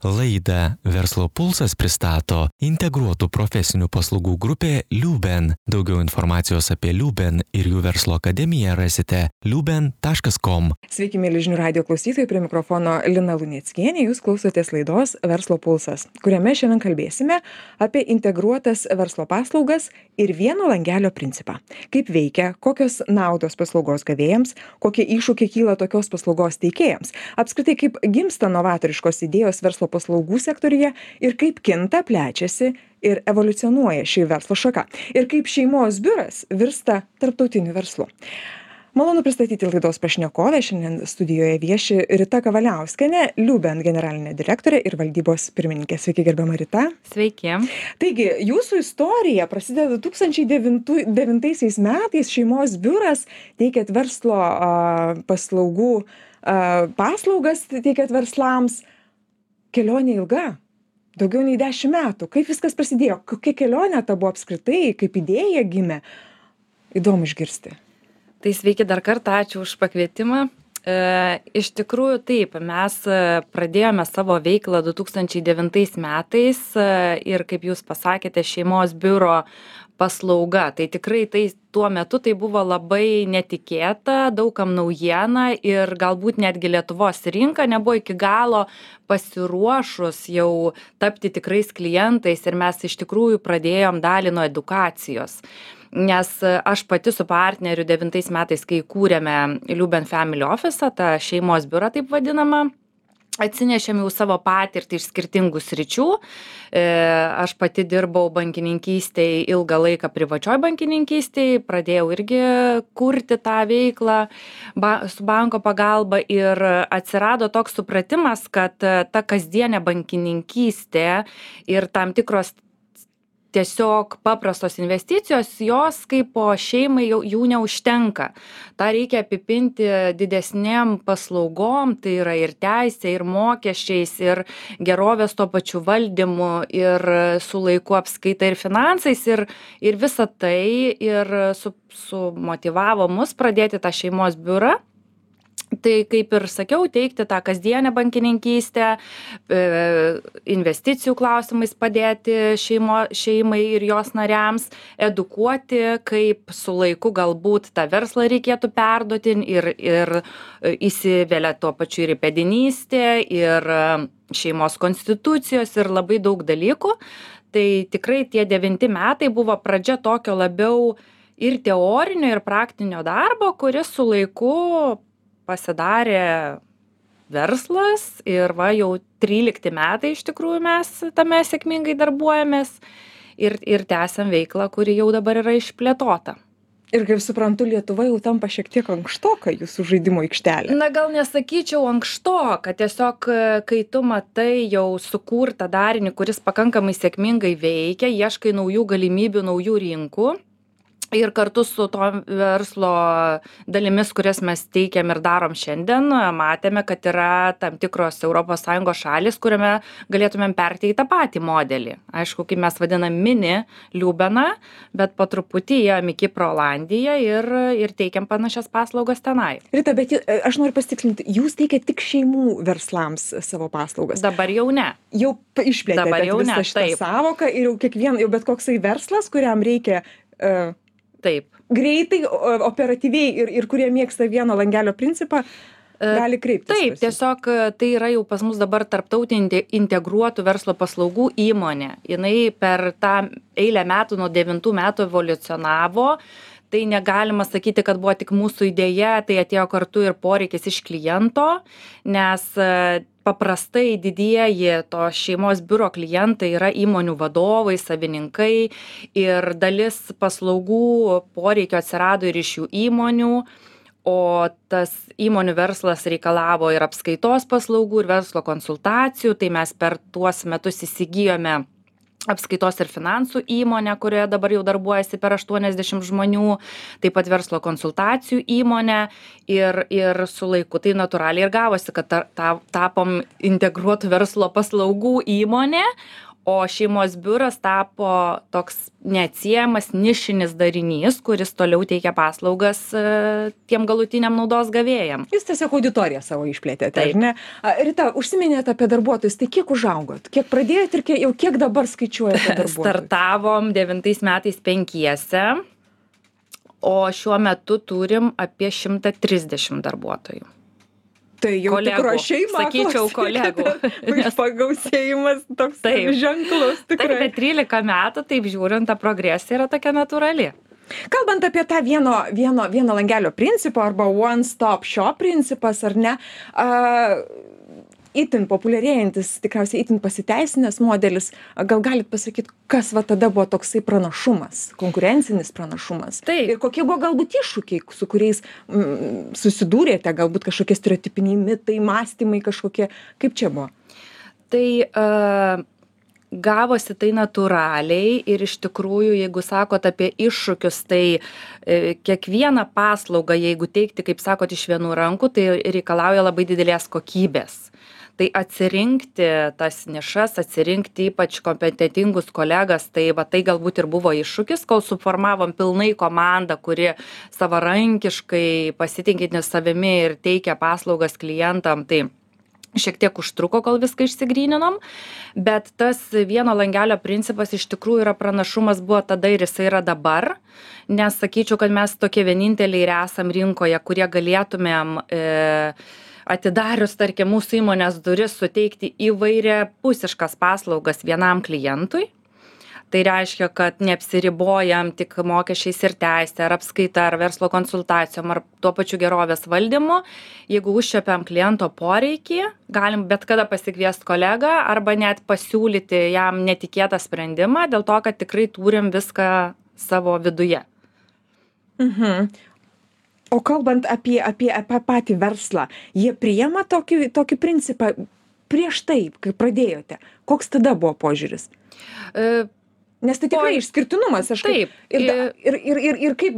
Laidą Verslo pulsas pristato integruotų profesinių paslaugų grupė Liuben. Daugiau informacijos apie Liuben ir jų verslo akademiją rasite liuben.com. Sveiki, mėly žinių radijo klausytojai, prie mikrofono Lina Luneckienė. Jūs klausotės laidos Verslo pulsas, kuriame šiandien kalbėsime apie integruotas verslo paslaugas ir vieno langelio principą. Kaip veikia, kokios naudos paslaugos gavėjams, kokie iššūkiai kyla tokios paslaugos teikėjams. Apskritai, kaip gimsta novatoriškos idėjos verslo paslaugų sektoriuje ir kaip kinta, plečiasi ir evoliucionuoja ši verslo šaka. Ir kaip šeimos biuras virsta tarptautiniu verslu. Malonu pristatyti laidos pašnekovę. Šiandien studijoje vieši Rita Kavaliauskienė, Liuben generalinė direktorė ir valdybos pirmininkė. Sveiki, gerbiama Rita. Sveiki. Taigi, jūsų istorija prasideda 2009 metais. Šeimos biuras teikėt verslo paslaugų, paslaugas teikėt verslams. Kelionė ilga, daugiau nei 10 metų. Kaip viskas prasidėjo? Kokia kelionė ta buvo apskritai? Kaip idėja gimė? Įdomu išgirsti. Tai sveiki dar kartą, ačiū už pakvietimą. Iš tikrųjų taip, mes pradėjome savo veiklą 2009 metais ir kaip jūs pasakėte, šeimos biuro paslauga. Tai tikrai tuo metu tai buvo labai netikėta, daugam naujiena ir galbūt netgi Lietuvos rinka nebuvo iki galo pasiruošus jau tapti tikrais klientais ir mes iš tikrųjų pradėjom dalį nuo edukacijos. Nes aš pati su partneriu 9 metais, kai kūrėme Liuben Family Office, tą šeimos biurą taip vadinamą, atsinešėme jau savo patirtį iš skirtingų sričių. Aš pati dirbau bankininkystėje ilgą laiką privačioj bankininkystėje, pradėjau irgi kurti tą veiklą su banko pagalba ir atsirado toks supratimas, kad ta kasdienė bankininkystė ir tam tikros tiesiog paprastos investicijos, jos kaip po šeimai jų neužtenka. Ta reikia apipinti didesnėm paslaugom, tai yra ir teisė, ir mokesčiais, ir gerovės to pačiu valdymu, ir su laiku apskaita ir finansais, ir visa tai ir sumotyvavo mus pradėti tą šeimos biurą. Tai kaip ir sakiau, teikti tą kasdienę bankininkystę, investicijų klausimais padėti šeimai ir jos nariams, edukuoti, kaip su laiku galbūt tą verslą reikėtų perduoti ir įsivelia tuo pačiu ir įpėdinystė, ir šeimos konstitucijos ir labai daug dalykų. Tai tikrai tie 9 metai buvo pradžia tokio labiau ir teorinio, ir praktinio darbo, kuris su laiku pasidarė verslas ir jau 13 metai iš tikrųjų mes tame sėkmingai darbuojamės ir tęsiam veiklą, kuri jau dabar yra išplėtota. Ir kaip suprantu, Lietuva jau tampa šiek tiek ankštoka jūsų žaidimo aikštelė. Na, gal nesakyčiau ankštoka, tiesiog kai tu matai jau sukurtą darinį, kuris pakankamai sėkmingai veikia, ieškai naujų galimybių, naujų rinkų. Ir kartu su to verslo dalimis, kurias mes teikiam ir darom šiandien, matėme, kad yra tam tikros ES šalis, kuriame galėtumėm perteikti tą patį modelį. Aišku, kaip mes vadinam mini Liubeną, bet po truputį ėjom į Kiprą, Olandiją ir teikiam panašias paslaugas tenai. Rita, bet aš noriu pasitikslinti, jūs teikiat tik šeimų verslams savo paslaugas? Dabar jau ne. Jau išplėtėte visą šitą savoką ir jau bet koksai verslas, kuriam reikia Taip. Greitai, operatyviai ir kurie mėgsta vieno langelio principą, gali kreiptis. Taip, tiesiog tai yra jau pas mus dabar tarptautinė integruotų verslo paslaugų įmonė. Jinai per tą eilę metų nuo 9 metų evoliucionavo. Tai negalima sakyti, kad buvo tik mūsų idėja, tai atėjo kartu ir poreikis iš kliento, nes paprastai didieji to šeimos biuro klientai yra įmonių vadovai, savininkai ir dalis paslaugų poreikio atsirado ir iš jų įmonių, o tas įmonių verslas reikalavo ir apskaitos paslaugų, ir verslo konsultacijų, tai mes per tuos metus įsigijome apskaitos ir finansų įmonę, kurioje dabar jau darbuojasi per 80 žmonių, taip pat verslo konsultacijų įmonę ir su laiku tai natūraliai ir gavosi, kad tapom integruotų verslo paslaugų įmonė, O šeimos biuras tapo toks neatsiejamas nišinis darinys, kuris toliau teikia paslaugas tiem galutiniam naudos gavėjam. Jūs tiesiog auditoriją savo išplėtėte, ar ne? Rita, užsiminėte apie darbuotojus, tai kiek užaugot? Kiek pradėjot ir kiek dabar skaičiuojate darbuotojų? Startavom 9 metais 5, o šiuo metu turim apie 130 darbuotojų. Tai jau tikro šeima, sakyčiau, kolegų. Pagausėjimas toks ženklus tikrai. Taip, bet 13 metų, taip žiūrint, ta progresija yra tokia natūrali. Kalbant apie tą vieno langelio principą arba one stop shop principas, ar ne, itin populiarėjantis, tikriausiai itin pasiteisinęs modelis, gal galit pasakyti, kas va tada buvo toksai pranašumas, konkurencinis pranašumas? Taip. Ir kokie buvo galbūt iššūkiai, su kuriais susidūrėte, galbūt kažkokie stereotipiniai mitai, mąstymai kažkokie, kaip čia buvo? Tai gavosi tai natūraliai ir iš tikrųjų, jeigu sakot apie iššūkius, tai kiekvieną paslaugą, jeigu teikti, kaip sakot, iš vienų rankų, tai reikalauja labai didelės kokybės. Tai atsirinkti tas nišas, atsirinkti ypač kompetentingus kolegas, tai galbūt ir buvo iššūkis, kol suformavom pilnai komandą, kuri savarankiškai pasitikinti savimi ir teikia paslaugas klientam, tai šiek tiek užtruko, kol viską išsigryninom, bet tas vieno langelio principas iš tikrųjų yra pranašumas buvo tada ir jisai yra dabar, nes sakyčiau, kad mes tokie vieninteliai ir esam rinkoje, kurie galėtumėm atidarius, tarkim, mūsų įmonės duris suteikti įvairiapusiškas paslaugas vienam klientui. Tai reiškia, kad neapsiribojam tik mokesčiais ir teisė, ar apskaita, ar verslo konsultacijom, ar tuo pačiu gerovės valdymu. Jeigu užčiapiam kliento poreikį, galim bet kada pasikviesti kolegą arba net pasiūlyti jam netikėtą sprendimą, dėl to, kad tikrai turim viską savo viduje. O kalbant apie patį verslą, jie priima tokį principą prieš tai, kai pradėjote? Koks tada buvo požiūris? Nes tai tikrai išskirtinumas. Taip. Ir kaip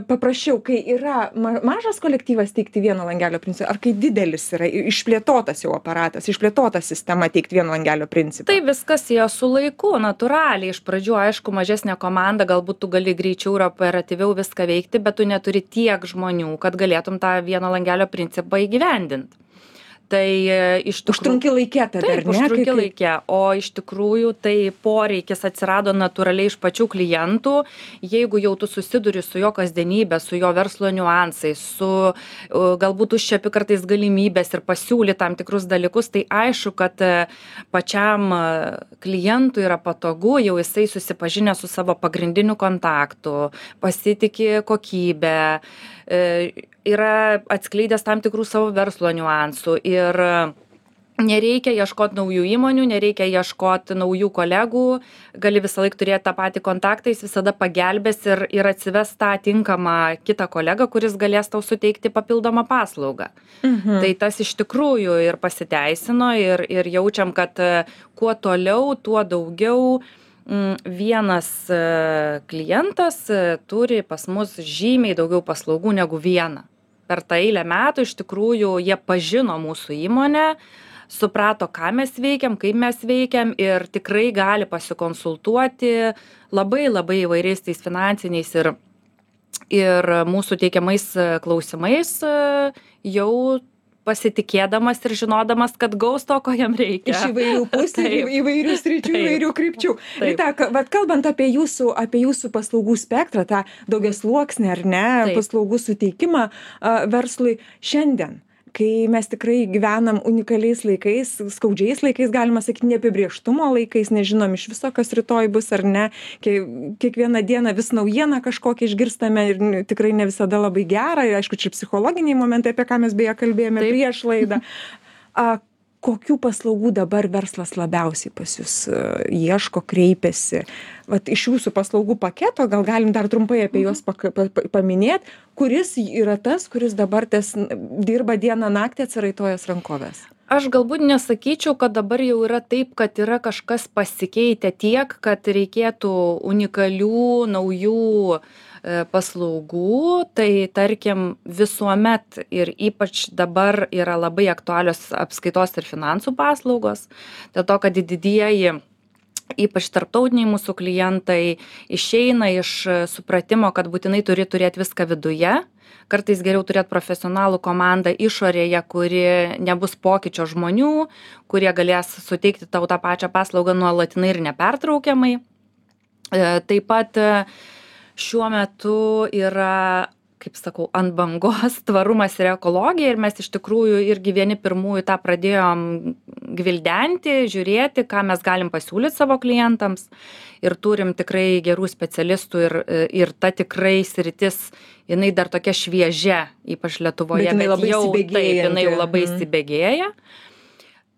paprasčiau, kai yra mažas kolektyvas teikti vieno langelio principą, ar kai didelis yra išplėtotas jau aparatas, išplėtota sistema teikti vieno langelio principą? Tai viskas ėjo su laiku, natūraliai. Iš pradžių, aišku, mažesnė komanda, galbūt tu gali greičiau ir operatyviau viską veikti, bet tu neturi tiek žmonių, kad galėtum tą vieno langelio principą įgyvendinti. Tai iš tikrųjų... Užtrunki laikė tada, ar ne? Taip, užtrunki laikė, o iš tikrųjų tai poreikis atsirado natūraliai iš pačių klientų, jeigu jau tu susiduri su jo kasdienybė, su jo verslo niuansais, su galbūt užčiapi kartais galimybės ir pasiūly tam tikrus dalykus, tai aišku, kad pačiam klientui yra patogu, jau jisai susipažinę su savo pagrindiniu kontaktu, pasitiki kokybę, yra atskleidęs tam tikrų savo verslo niuansų ir nereikia ieškoti naujų įmonių, nereikia ieškoti naujų kolegų, gali visą laiką turėti tą patį kontaktą, jis visada pagelbės ir atsives tą tinkamą kitą kolegą, kuris galės tau suteikti papildomą paslaugą. Tai tas iš tikrųjų ir pasiteisino ir jaučiam, kad kuo toliau, tuo daugiau vienas klientas turi pas mus žymiai daugiau paslaugų negu vieną. Per tą eilę metų iš tikrųjų jie pažino mūsų įmonę, suprato, ką mes veikiam, kaip mes veikiam ir tikrai gali pasikonsultuoti labai įvairiais tais finansiniais ir mūsų teikiamais klausimais jau pasitikėdamas ir žinodamas, kad gaus to, ko jam reikia. Iš įvairių pusių, įvairių sričių, įvairių krypčių. Rita, kalbant apie jūsų paslaugų spektrą, tą daugiasluoksnį ar ne, paslaugų suteikimą verslui šiandien, kai mes tikrai gyvenam unikaliais laikais, skaudžiais laikais, galima sakyti, neapibrėžtumo laikais, nežinom iš viso, kas rytoj bus ar ne, kiekvieną dieną vis naujieną kažkokią išgirstame ir tikrai ne visada labai gerą, ir aišku, čia psichologiniai momentai, apie ką mes beje kalbėjome prieš laidą. Kokių paslaugų dabar verslas labiausiai pas jūs ieško, kreipiasi? Vat iš jūsų paslaugų paketo, gal galim dar trumpai apie juos paminėti, kuris yra tas, kuris dabar dirba dieną naktį atsiraitojęs rankovės? Aš galbūt nesakyčiau, kad dabar jau yra taip, kad yra kažkas pasikeitę tiek, kad reikėtų unikalių, naujų paslaugų, tai tarkim visuomet ir ypač dabar yra labai aktualios apskaitos ir finansų paslaugos, dėl to, kad didieji ypač tarptautiniai mūsų klientai, išeina iš supratimo, kad būtinai turi turėti viską viduje. Kartais geriau turėti profesionalų komandą išorėje, kuri nebus pokyčio žmonių, kurie galės suteikti tau tą pačią paslaugą nuolatinai ir nepertraukiamai. Taip pat šiuo metu yra, kaip sakau, ant bangos tvarumas ir ekologija ir mes iš tikrųjų irgi vieni pirmųjų tą pradėjom gvildenti, žiūrėti, ką mes galim pasiūlyti savo klientams ir turim tikrai gerų specialistų ir ta tikrai sritis, jinai dar tokia šviežia, ypač Lietuvoje, bet jau taip, jinai jau labai įsibėgėja.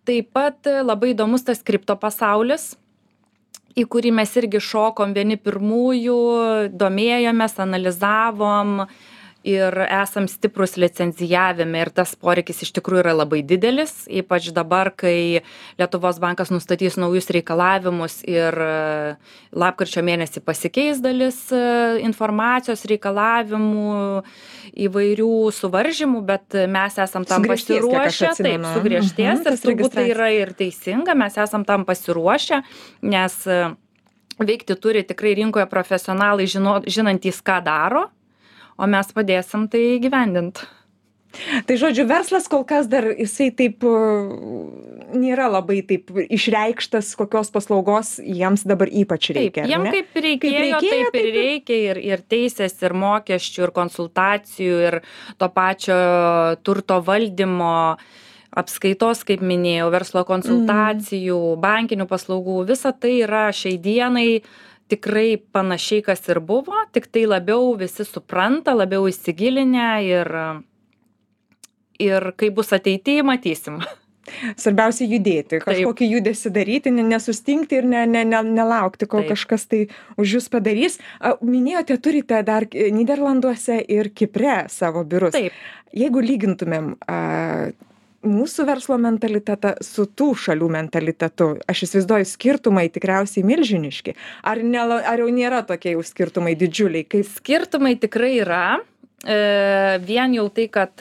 Taip pat labai įdomus tas kripto pasaulis, į kurį mes irgi šokom vieni pirmųjų, domėjomės, analizavom ir esam stiprus licenzijavime ir tas poreikis iš tikrųjų yra labai didelis, ypač dabar, kai Lietuvos bankas nustatys naujus reikalavimus ir lapkričio mėnesį pasikeis dalis informacijos reikalavimų, įvairių suvaržymų, bet mes esam tam pasiruošę, taip, sugriežtės ir turbūt tai yra ir teisinga, mes esam tam pasiruošę, nes veikti turi tikrai rinkoje profesionalai žinantys, ką daro, o mes padėsim tai įgyvendint. Tai žodžiu, verslas kol kas dar jisai taip nėra labai taip išreikštas, kokios paslaugos jiems dabar ypač reikia. Taip, jiem kaip reikėjo, taip ir reikia ir teisės, ir mokesčių, ir konsultacijų, ir to pačio turto valdymo, apskaitos, kaip minėjau, verslo konsultacijų, bankinių paslaugų, visa tai yra šiai dienai tikrai panašiai, kas ir buvo, tik tai labiau visi supranta, labiau įsigilinę ir kai bus ateityje, matysim. Svarbiausia judėti, kažkokį judesį daryti, nesustingti ir nelaukti, kol kažkas tai už jūs padarys. Minėjote, turite dar Nyderlanduose ir Kipre savo biurus. Taip. Jeigu lygintumėm mūsų verslo mentalitetą su tų šalių mentalitetu, aš įsivaizduoju, skirtumai tikriausiai milžiniški. Ar jau nėra tokie jau skirtumai didžiuliai? Skirtumai tikrai yra. Vien jau tai, kad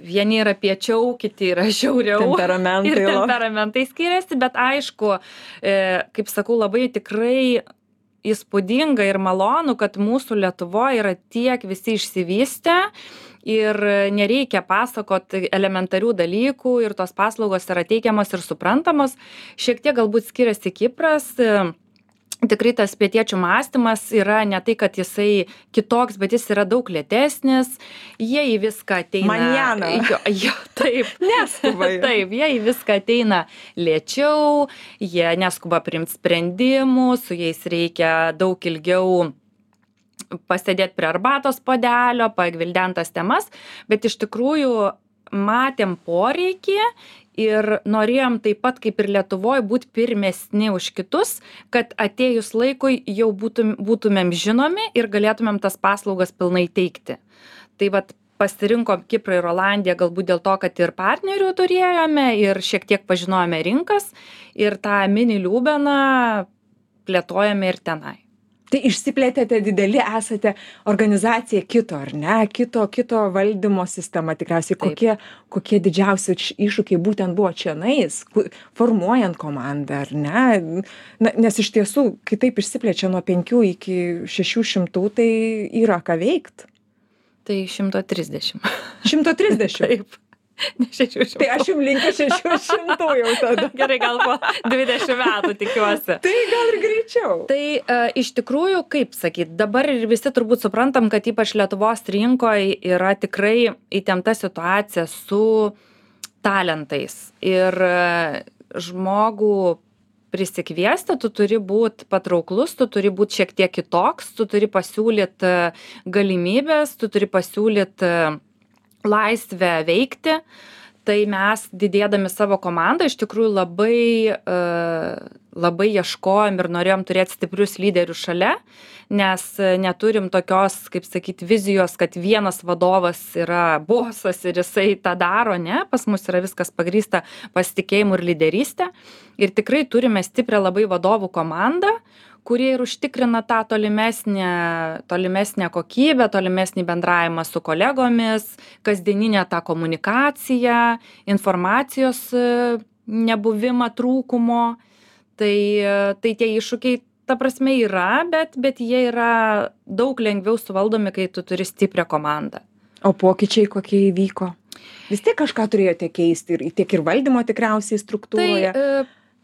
vieni yra piečiau, kiti yra žiauriau. Temperamentai skiriasi, bet aišku, kaip sakau, labai tikrai įspūdinga ir malonu, kad mūsų Lietuvoje yra tiek visi išsivystę ir nereikia pasakoti elementarių dalykų ir tos paslaugos yra teikiamos ir suprantamos. Šiek tiek galbūt skiriasi Kipras. Tikrai tas pietiečių mąstymas yra ne tai, kad jisai kitoks, bet jis yra daug lėtesnis. Jie į viską ateina. Manjana. Taip. Neskuba. Taip, jie į viską ateina lėčiau, jie neskuba priimti sprendimų, su jais reikia daug ilgiau pasėdėti prie arbatos puodelio, pagvildentas temas, bet iš tikrųjų matėm poreikį ir norėjom taip pat kaip ir Lietuvoje būti pirmesni už kitus, kad atėjus laikui jau būtumėm žinomi ir galėtumėm tas paslaugas pilnai teikti. Tai vat pasirinkom Kiprą ir Olandiją galbūt dėl to, kad ir partnerių turėjome ir šiek tiek pažinojome rinkas ir tą mini Liubeną plėtojame ir tenai. Tai išsiplėtėte dideli, esate organizacija kito, ar ne? Kito valdymo sistema tikriausiai. Kokie didžiausi iššūkiai būtent buvo čianais, formuojant komandą, ar ne? Nes iš tiesų, kai taip išsiplečia nuo 5 iki 600, tai yra ką veikt. Tai 130. 130? Taip. Ne 600. Tai aš jums linkiu 600 jau tada. Gerai, gal po 20 metų tikiuosi. Tai gal ir greičiau. Tai iš tikrųjų, kaip sakyt, dabar ir visi turbūt suprantam, kad ypač Lietuvos rinkoje yra tikrai įtempta situacija su talentais. Ir žmogų prisikviesti, tu turi būti patrauklus, tu turi būti šiek tiek kitoks, tu turi pasiūlyti galimybės, tu turi pasiūlyti laisvę veikti, tai mes didėdami savo komandą iš tikrųjų labai ieškojom ir norėjom turėti stiprius lyderius šalia, nes neturim tokios, kaip sakyti, vizijos, kad vienas vadovas yra bosas ir jisai tą daro, ne, pas mus yra viskas pagrįsta pasitikėjimu ir lyderystė ir tikrai turime stiprią labai vadovų komandą, kurie ir užtikrina tą tolimesnę kokybę, tolimesnį bendravimą su kolegomis, kasdieninę tą komunikaciją, informacijos nebuvimą trūkumo. Tai tie iššūkiai, ta prasme, yra, bet jie yra daug lengviau suvaldomi, kai tu turi stiprią komandą. O pokyčiai kokie įvyko? Vis tiek kažką turėjote keisti ir tiek ir valdymo tikriausiai struktūroje.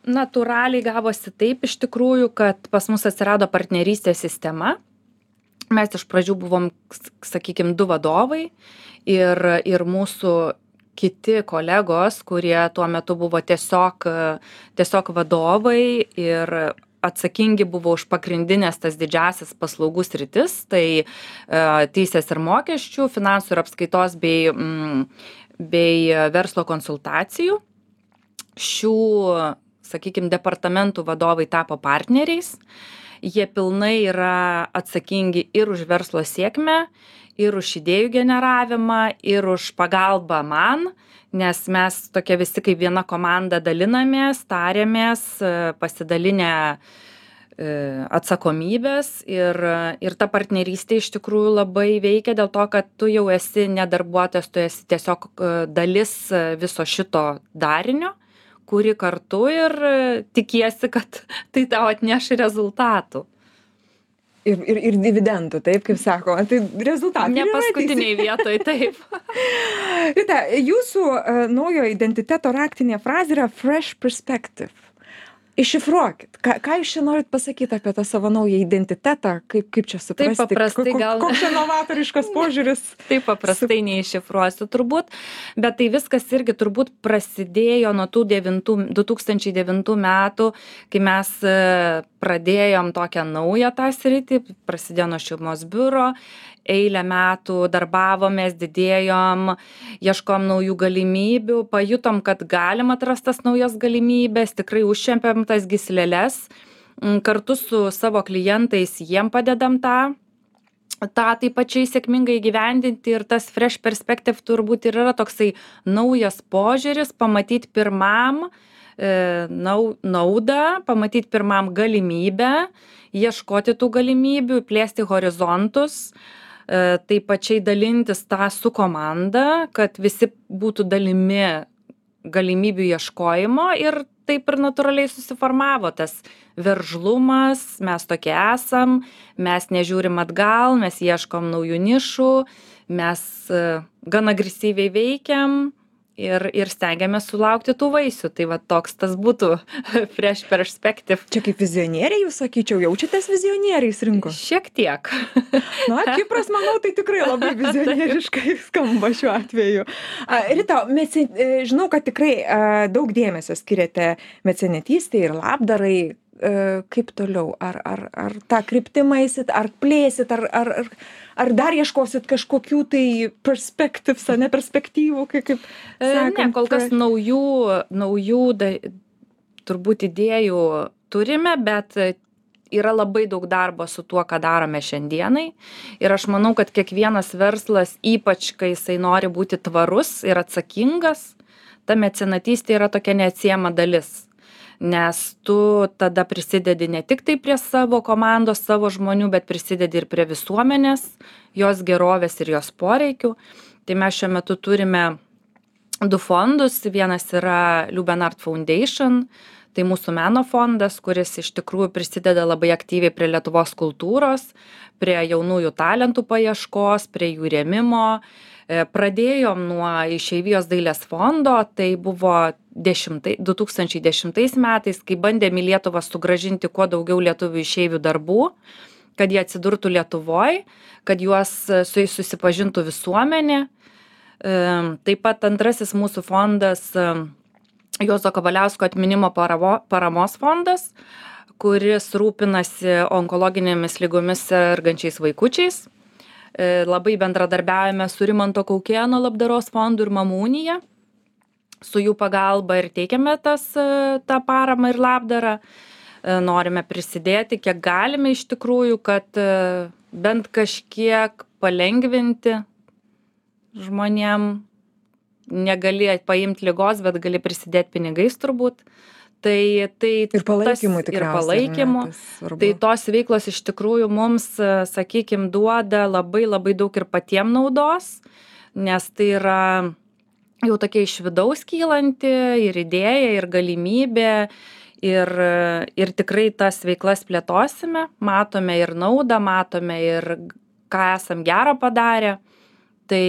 Natūraliai gavosi taip iš tikrųjų, kad pas mus atsirado partnerystės sistema. Mes iš pradžių buvom, sakykime, 2 vadovai ir mūsų kiti kolegos, kurie tuo metu buvo tiesiog vadovai ir atsakingi buvo už pagrindinės tas didžiasias paslaugų sritis, tai teisės ir mokesčių, finansų ir apskaitos bei verslo konsultacijų. Šių, sakykime, departamentų vadovai tapo partneriais. Jie pilnai yra atsakingi ir už verslo sėkmę, ir už idėjų generavimą, ir už pagalbą man, nes mes tokie visi kaip viena komanda dalinamės, tariamės, pasidalinę atsakomybės ir ta partnerystė iš tikrųjų labai veikia dėl to, kad tu jau esi ne darbuotojas, tu esi tiesiog dalis viso šito darinio, kuri kartu ir tikiesi, kad tai tau atneš rezultatų. Ir dividendų, taip, kaip sako. Tai rezultatai. Ne paskutiniai vietoj, taip. Rita, jūsų naujo identiteto raktinė frazė yra fresh perspective. Iššifruokit. Ką jūs čia norit pasakyti apie tą savo naują identitetą? Kaip čia suprasti? Taip paprastai gal. Koks čia novatoriškas požiūris? Taip paprastai neiššifruosiu turbūt, bet tai viskas irgi turbūt prasidėjo nuo tų 2009 metų, kai mes pradėjom tokią naują tą sritį, prasidėjo nuo šeimos biuro, eilę metų darbavomės, didėjom, ieškom naujų galimybių, pajutom, kad galim atrast tas naujas galimybės, tikrai užčiampėm tas gysleles, kartu su savo klientais jiem padedam tą taip pačiai sėkmingai įgyvendinti ir tas fresh perspective turbūt ir yra toksai naujas požiūris, pamatyti pirmam naudą, pamatyti pirmam galimybę, ieškoti tų galimybių, plėsti horizontus, taip pačiai dalintis tą su komanda, kad visi būtų dalimi galimybių ieškojimo ir taip ir natūraliai susiformavo tas veržlumas, mes tokie esam, mes nežiūrim atgal, mes ieškom naujų nišų, mes gan agresyviai veikiam ir stengiamės sulaukti tų vaisių. Tai va toks tas būtų fresh perspective. Čia kaip vizionieriai, jūs sakyčiau, jaučiatės vizionieriais rinkos? Šiek tiek. Na, Kipras, manau, tai tikrai labai vizionieriškai skamba šiuo atveju. Rita, žinau, kad tikrai daug dėmesio skiriate mecenatystei ir labdarai. Kaip toliau? Ar tą kryptimą eisit, ar plėsit, ar dar ieškosit kažkokių tai perspektyvų, kaip sakant? Ne, kol kas naujų turbūt idėjų turime, bet yra labai daug darbo su tuo, ką darome šiandienai. Ir aš manau, kad kiekvienas verslas, ypač kai jisai nori būti tvarus ir atsakingas, ta mecenatystė yra tokia neatsiejama dalis. Nes tu tada prisidedi ne tik tai prie savo komandos, savo žmonių, bet prisidedi ir prie visuomenės, jos gerovės ir jos poreikių. Tai mes šiuo metu turime 2 fondus. Vienas yra Liuben Art Foundation, tai mūsų meno fondas, kuris iš tikrųjų prisideda labai aktyviai prie Lietuvos kultūros, prie jaunųjų talentų paieškos, prie jų rėmimo. Pradėjom nuo Išeivijos dailės fondo, tai buvo 2010 metais, kai bandėm į Lietuvą sugrąžinti kuo daugiau lietuvių išeivių darbų, kad jie atsidurtų Lietuvoj, kad su jais susipažintų visuomenė. Taip pat antrasis mūsų fondas Juozo Kavaliausko atminimo paramos fondas, kuris rūpinasi onkologinėmis ligomis sergančiais vaikučiais. Labai bendradarbiaujame su Rimanto Kaukėno labdaros fondu ir Mamų unija. Su jų pagalba ir teikiame tą paramą ir labdarą. Norime prisidėti, kiek galime iš tikrųjų, kad bent kažkiek palengvinti žmonėm. Negali paimti ligos, bet gali prisidėti pinigais turbūt. Ir palaikymui tikriausiai. Ir palaikymu. Tai tos veiklos iš tikrųjų mums, sakykime, duoda labai labai daug ir patiem naudos, nes tai yra jau tokia iš vidaus kylanti ir idėja, ir galimybė, ir tikrai tas veiklas plėtosime, matome ir naudą, matome ir ką esam gerą padarę, tai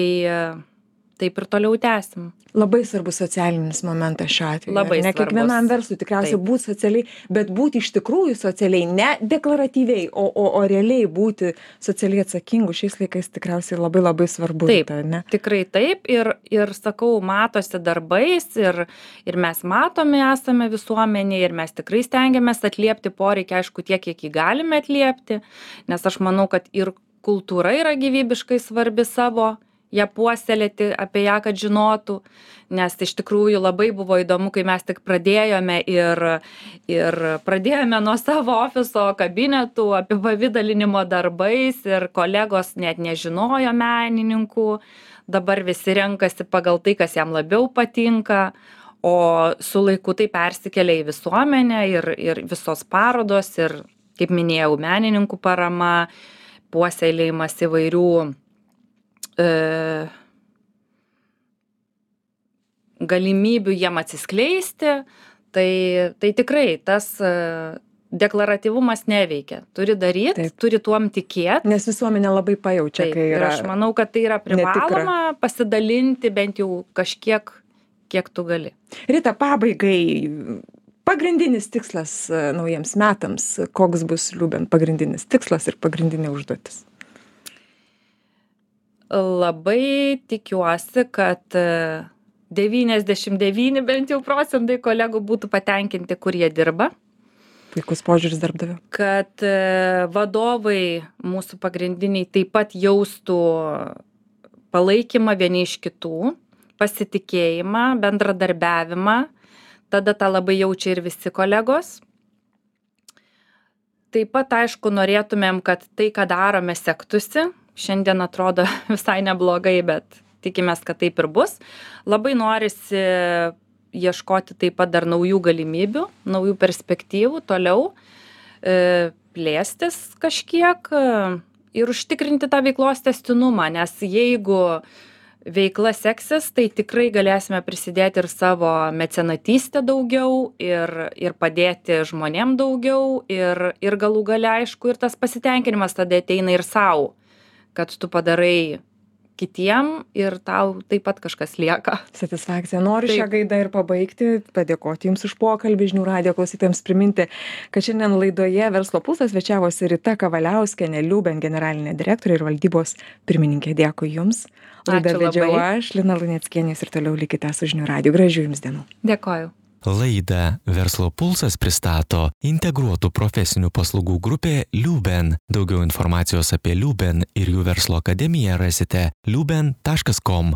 taip ir toliau tęsim. Labai svarbus socialinis momentas šiuo atveju. Labai ne svarbus. Kiekvienam verslui tikriausiai būti socialiai, bet būti iš tikrųjų socialiai, ne deklaratyviai, o realiai būti socialiai atsakingu šiais laikais tikriausiai labai labai svarbu. Taip, ne? tikrai taip ir sakau, matosi darbais ir mes matomi esame visuomenėje ir mes tikrai stengiamės atliepti poreikį, aišku, tiek, kiek jį galime atliepti, nes aš manau, kad ir kultūra yra gyvybiškai svarbi savo, ją puoselėti, apie ją, kad žinotų, nes iš tikrųjų labai buvo įdomu, kai mes tik pradėjome ir pradėjome nuo savo ofiso kabinetų apipavidalinimo darbais ir kolegos net nežinojo menininkų, dabar visi renkasi pagal tai, kas jam labiau patinka, o su laiku tai persikelia į visuomenę ir visos parodos ir, kaip minėjau, menininkų parama, puoselėjimas įvairių galimybių jiem atsiskleisti, tai tikrai tas deklaratyvumas neveikia. Turi daryti, turi tuom tikėti. Nes visuomenė labai pajaučia, kai yra. Ir aš manau, kad tai yra privaloma pasidalinti bent jau kažkiek, kiek tu gali. Rita, pabaigai, pagrindinis tikslas naujiems metams, koks bus Liuben pagrindinis tikslas ir pagrindinė užduotis? Labai tikiuosi, kad 99 bent jau procentai kolegų būtų patenkinti, kur jie dirba. Puikus požiūris darbdavio. Kad vadovai mūsų pagrindiniai taip pat jaustų palaikymą vieni iš kitų, pasitikėjimą, bendradarbiavimą. Tada tą labai jaučia ir visi kolegos. Taip pat, aišku, norėtumėm, kad tai, ką darome, sektųsi. Šiandien atrodo visai neblogai, bet tikimės, kad taip ir bus. Labai norisi ieškoti taip pat dar naujų galimybių, naujų perspektyvų, toliau plėstis kažkiek ir užtikrinti tą veiklos tęstinumą, nes jeigu veikla seksis, tai tikrai galėsime prisidėti ir savo mecenatystę daugiau ir padėti žmonėm daugiau ir galų gale, aišku, ir tas pasitenkinimas tada ateina ir sau, kad tu padarai kitiem ir tau taip pat kažkas lieka. Satisfakcija. Noriu šią gaidą ir pabaigti, padėkoti Jums už pokalbį, Žinių radijo klausytojams priminti, kad šiandien laidoje Verslo pulsas svečiavosi Rita Kavaliauskienė, Liuben generalinė direktorė ir valdybos pirmininkė. Dėkui Jums. Laidą vedžiau aš, Lina Luneckienė, ir toliau likite su Žinių radiju. Gražių Jums dienų. Dėkoju. Laidą Verslo pulsas pristato integruotų profesinių paslaugų grupė Liuben. Daugiau informacijos apie Liuben ir jų verslo akademiją rasite liuben.com.